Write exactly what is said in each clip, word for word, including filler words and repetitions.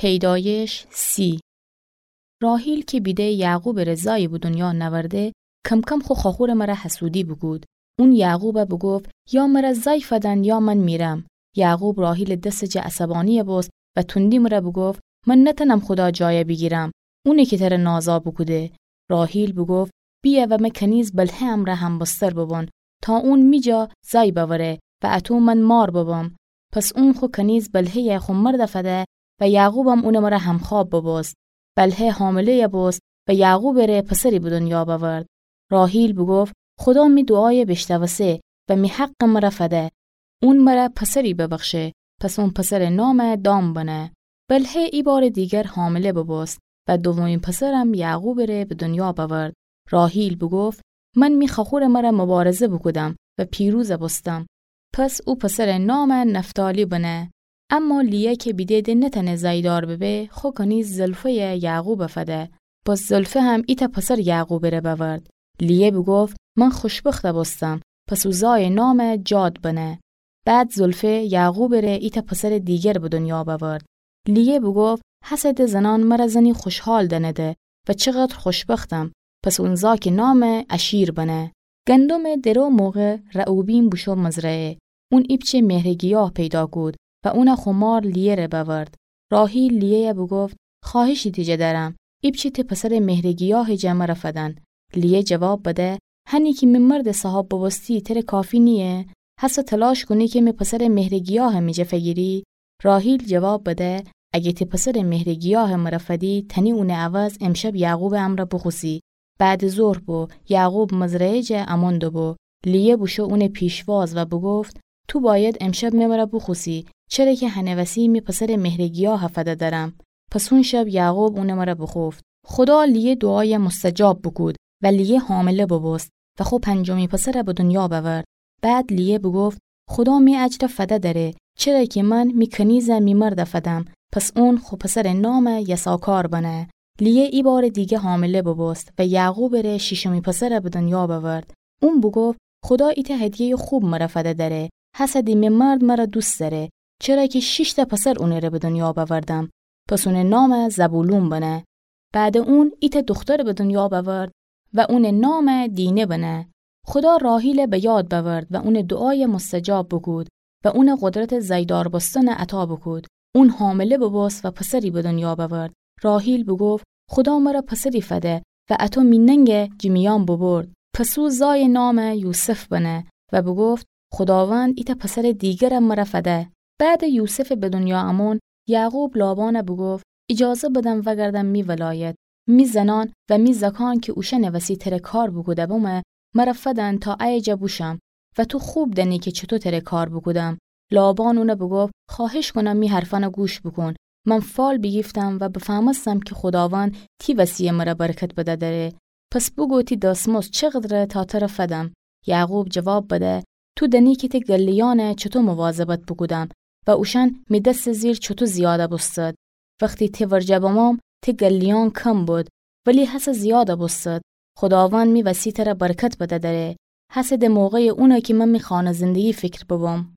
پیدایش سی. راحیل کی بیده یعقوبٚ ره زای به دنیا نأورده، کم‌کم خو خواخورٚ مره حسودی بوکود. اون یعقوب بوگفت: یا مره زای فدن یا من میرم. یعقوب راحیلٚ دسٚ جا عصبانی بوست و تندی مره بوگفت: من نتأنم خودا جای بیگیرم، اونی کی تره نازا بوکوده. راحیل بوگفت: بیه و مه کنیز بلهه امرأ همبستر ببون، تا اون می جا زای بأوره و اطو من مار ببم. پس اون خو کنیز بلهه‌یه خو مرد فده و یعقوبم اونٚ مره همخواب ببوست. بلهه حامله‌یه بوست و یعقوبٚ ره پسری به دنیا بأورد. راحیل بوگفت: خودا می دوعای بیشنوسه و می حقٚ مره فده. اون مره پسری ببخشه. پس اون پسرٚ نام دان بنه. بلهه ایبارٚ دیگر حامله ببوست و دومی پسرم یعقوبٚ ره به دنیا بأورد. راحیل بوگفت: من می خواخورٚ مره مبارزه بوکودم و پیروز بوستم. پس او پسرٚ نام نفتالی بنه. اما لیه کی بیده د نتأنه زایدار ببه، خو کنیز زلفه‌یه یعقوب فده. پس زلفه هم ایتأ پسر یعقوبٚ ره بأورد. لیه بوگفت: من خوشبخت بوستم. پس او زایٚ نام جاد بنه. بعد زلفه یعقوبٚ ره ایتأ پسرٚ دیگر به دنیا بأورد. لیه بوگفت: هسه د زنأن مره زنی خوشحال دأنده و چقدر خوشبختم. پس اون زاکٚ نام آشیر بنه. گندمٚ درو موقع رعوبین بوشو مزرعه. اون ایپچه مهرٚ گیاه پیدا کود و اون خو مار لیه ره بأورد. راحیل لیه‌یه بوگفت: خواهشی تی جا دأرم، ایپچه تی پسرٚ مهرٚ گیاهٚ جا مره فدن. لیه جواب بده: هنی کی می مردٚ صاحاب ببوستی تره کافی نییه؟ هسه تلاش کونی کی می پسرٚ مهرٚ گیاه می جا فگیری؟ راحیل جواب بده: اگه تی پسرٚ مهرٚ گیاه مره فدی، تأنی اونٚ عوض امشب یعقوبٚ امرأ بوخوسی. بعدٚ ظهر بو، یعقوب مزرعه جا امون دوبو. لیه بوشو اونٚ پیشواز و بوگفت: تو باید امشب می مره بوخوسی، چره کی هنٚ وسی می پسرٚ مهرٚ گیاه فده دأرم. پس اون شب یعقوب اونٚ مره بوخوفت. خودا لیه دوعای مستجاب بوکود و لیه حامله ببوست و خو پنجمی پسر به دنیا بأورد. بعد لیه بوگفت: خودا می اجر فده دأره، چره کی من می کنیز می مرد فدم. پس اون خو پسرٚ نام یساکار بنه. لیه ایبارٚ دیگه حامله ببوست و یعقوبٚ ره شیشمی پسر به دنیا بأورد. اون بوگفت: خودا ایتأ هدیه‌یٚ خوب مره فده دأره، هسه د می مرد مره دوست دأره، چره کی شیشتأ پسر اونٚ ره به دنیا بأوردم. پس اونٚ نام زبولون بنه. بعدٚ اون ایتأ دوختر به دنیا بأورد و اونٚ نام دینه بنه. خودا راحیل به یاد بأورد و اونٚ دوعای مستجاب بوکود و اونٚ قدرتٚ زایدار بوستن عطا بوکود. اون حامله ببوست و پسری به دنیا بأورد. راحیل بوگفت: خودا مره پسری فده و اطو می ننگ جٚه میأن بوبرد. پس او زایٚ نام یوسف بنه و بوگفت: خوداوند ایتأ پسرٚ دیگرم مره فده. بعدٚ یوسفٚ به دنیا امون، یعقوب لابان بوگفت: ایجازه بدن وأگردم می ولایت. می زنأن و می زأکأن کی اوشأنٚ وسی تره کار بوکوده بمه، مره فدن تا ایه جا بوشم و تو خوب دأنی کی چوطو تره کار بوکودم. لابان اون بوگفت: خواهش کونم می حرفأن گوش بوکون. من فال بیگیفتم و بفهمستم کی خوداوند تی وسی مره برکت بده دأره. پس بوگو تی دسمزد چقدره تا تره فدم. یعقوب جواب بده: تو دأنی کی تی گله‌یأن چوطو مواظبت بوکودم و اوشأن می دستٚ زیر چوطو زیاد بوستد. وختی تی ورجه بموم، تی گله‌یأن کم بد، ولی هسه زیاد بوستد. خوداوند می وسی تره برکت بده دأره. هسه د موقعٚ اونه کی من می خانه زندگی فکر ببم.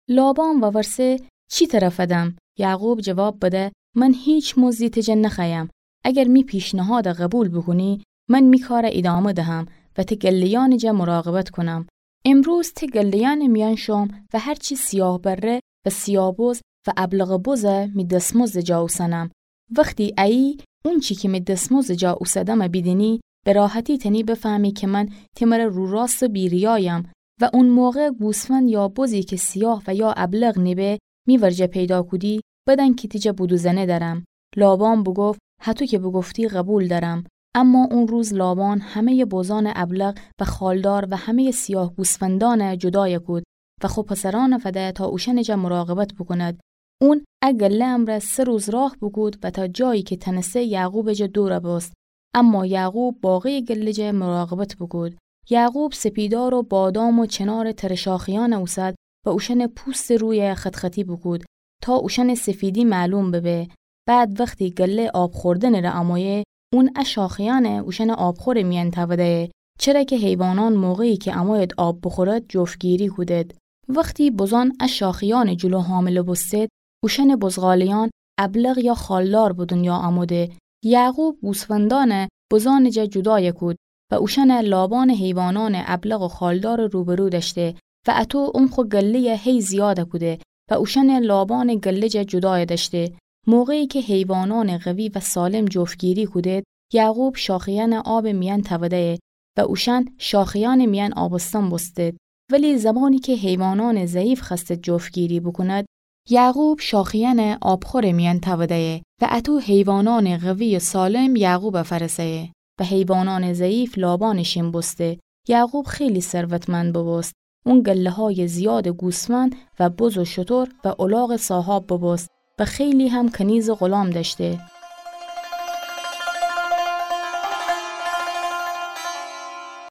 لابان وورسه: چی تره فدم؟ یعقوب جواب بده: من هیچ مزدی تی جا نخوأیم. اگر می پیشنهاد قبول بوکونی، من می کار ایدامه دهم و تی گله‌یأنٚ جا مراقبت کونم. امروز تی گله‌یأنٚ میأن شوم و هرچی سیاه بره و سیاه بز و ابلق بز می دسمزدٚ جا اوسنم. وختی ایی اونچی کی می دسمزدٚ جا اوسدم بیدینی، به راحتی تأنی بفهمی کی من تی مره روراست و بی‌ریایم و اون موقع گوسفند یا بزی کی سیاه و یا ابلق نیبه می ورجه پیدا کودی، بدن کی تی جا بودوزنه دأرم. لابان بوگفت: هطو کی بوگفتی قبول دأرم. اما اون روز لابان همه‌یٚ بزأنٚ ابلق و خالدار و همه‌یٚ سیاه گوسفندأن جدای کود و خو پسرأن فده تا اوشأنٚ جا مراقبت بوکوند. اون ا گله امرأ سه روز راه بوکود و تا جایی کی تنسه یعقوبٚ جا دور بوست. اما یعقوب باقیٚ گله جا مراقبت بوکود. یعقوب سپیدار و بادام و چنارٚ تره شاخه‌یأن اوسد و اوشأنٚ پوستٚ روی خط‌خطی بوکود تا اوشأنٚ سفیدی معلوم ببه. بعد وختی گله آب خوردنٚ ره امویه، اون ا شاخه‌یأن اوشأنٚ آبخورٚ میأن تأوده‌یه، چره کی حیوانأن موقعی کی اموید آب بوخورد جفت‌گیری کودد. وختی بزأن ا شاخه‌یأنٚ جلو حامله بوستد، اوشأنٚ بزغاله‌یأن ابلق یا خالدار به دونیا آموده. یعقوب گوسفندأنه بزأنٚ جا جودایَ کود و اوشأنَ لابانٚ حیوانأنٚ ابلق و خالدارٚ روبرو دأشته و اطو اون خو گله‌یَ هی زیادَ کوده و اوشأنَ لابانٚ گله جا جودایَ دأشته. موقعی کی حیوانأنٚ قوی و سالم جفتگیری کودید، یعقوب شاخه‌یأنَ آبٚ میأن تأوده‌یه و اوشأن شاخه‌یأنٚ میأن آبستن بوستید. ولی زمانی کی حیوانأنٚ ضعیف خوأستید جفتگیری بوکوند، یعقوب شاخه‌یأنَ آبخورٚ میأن تأوده‌یه و اطو حیوانأنٚ قوی و سالم یعقوبَ فأرسه‌یه و حیوانأنٚ ضعیف لابانٚ شین بوسته. یعقوب خیلی ثروتمند بوبوست. اون گله‌هایٚ زیادٚ گوسفند و بز و شتر و الاغٚ صاحاب بوبوست و خیلی هم کنیزٚ غلام دأشته.